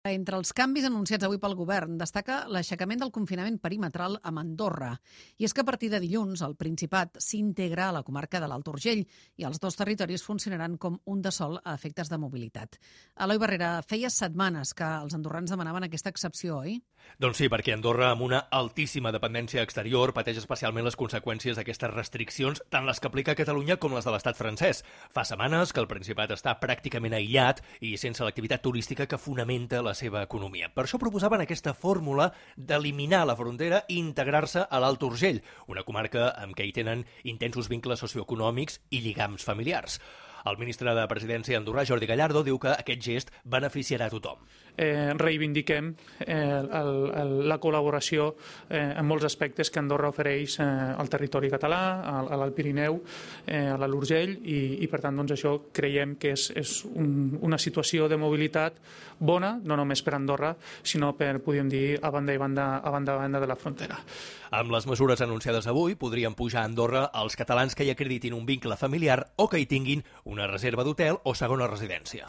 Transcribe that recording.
Entre els canvis anunciats avui pel govern destaca l'aixecament del confinament perimetral amb Andorra. I és que a partir de dilluns el Principat s'integra a la comarca de l'Alt Urgell i els dos territoris funcionaran com un de sol a efectes de mobilitat. Eloi Barrera, feia setmanes que els andorrans demanaven aquesta excepció, oi? Doncs sí, perquè Andorra, amb una altíssima dependència exterior, pateix especialment les conseqüències d'aquestes restriccions, tant les que aplica Catalunya com les de l'estat francès. Fa setmanes que el Principat està pràcticament aïllat i sense l'activitat turística que fonamenta la seva economia. Per això proposaven aquesta fórmula d'eliminar la frontera i integrar-se a l'Alt Urgell, una comarca amb què hi tenen intensos vincles socioeconòmics i lligams familiars. El ministre de Presidència andorrà, Jordi Gallardo, diu que aquest gest beneficiarà a tothom. Reivindiquem la col·laboració en molts aspectes que Andorra ofereix al territori català, a l'Alt Pirineu, a l'Alt Urgell, i per tant doncs, això creiem que és una situació de mobilitat bona, no només per Andorra, sinó per, podríem dir, a banda i banda de la frontera. Amb les mesures anunciades avui, podrien pujar a Andorra els catalans que hi acreditin un vincle familiar o que hi tinguin una reserva d'hotel o segona residència.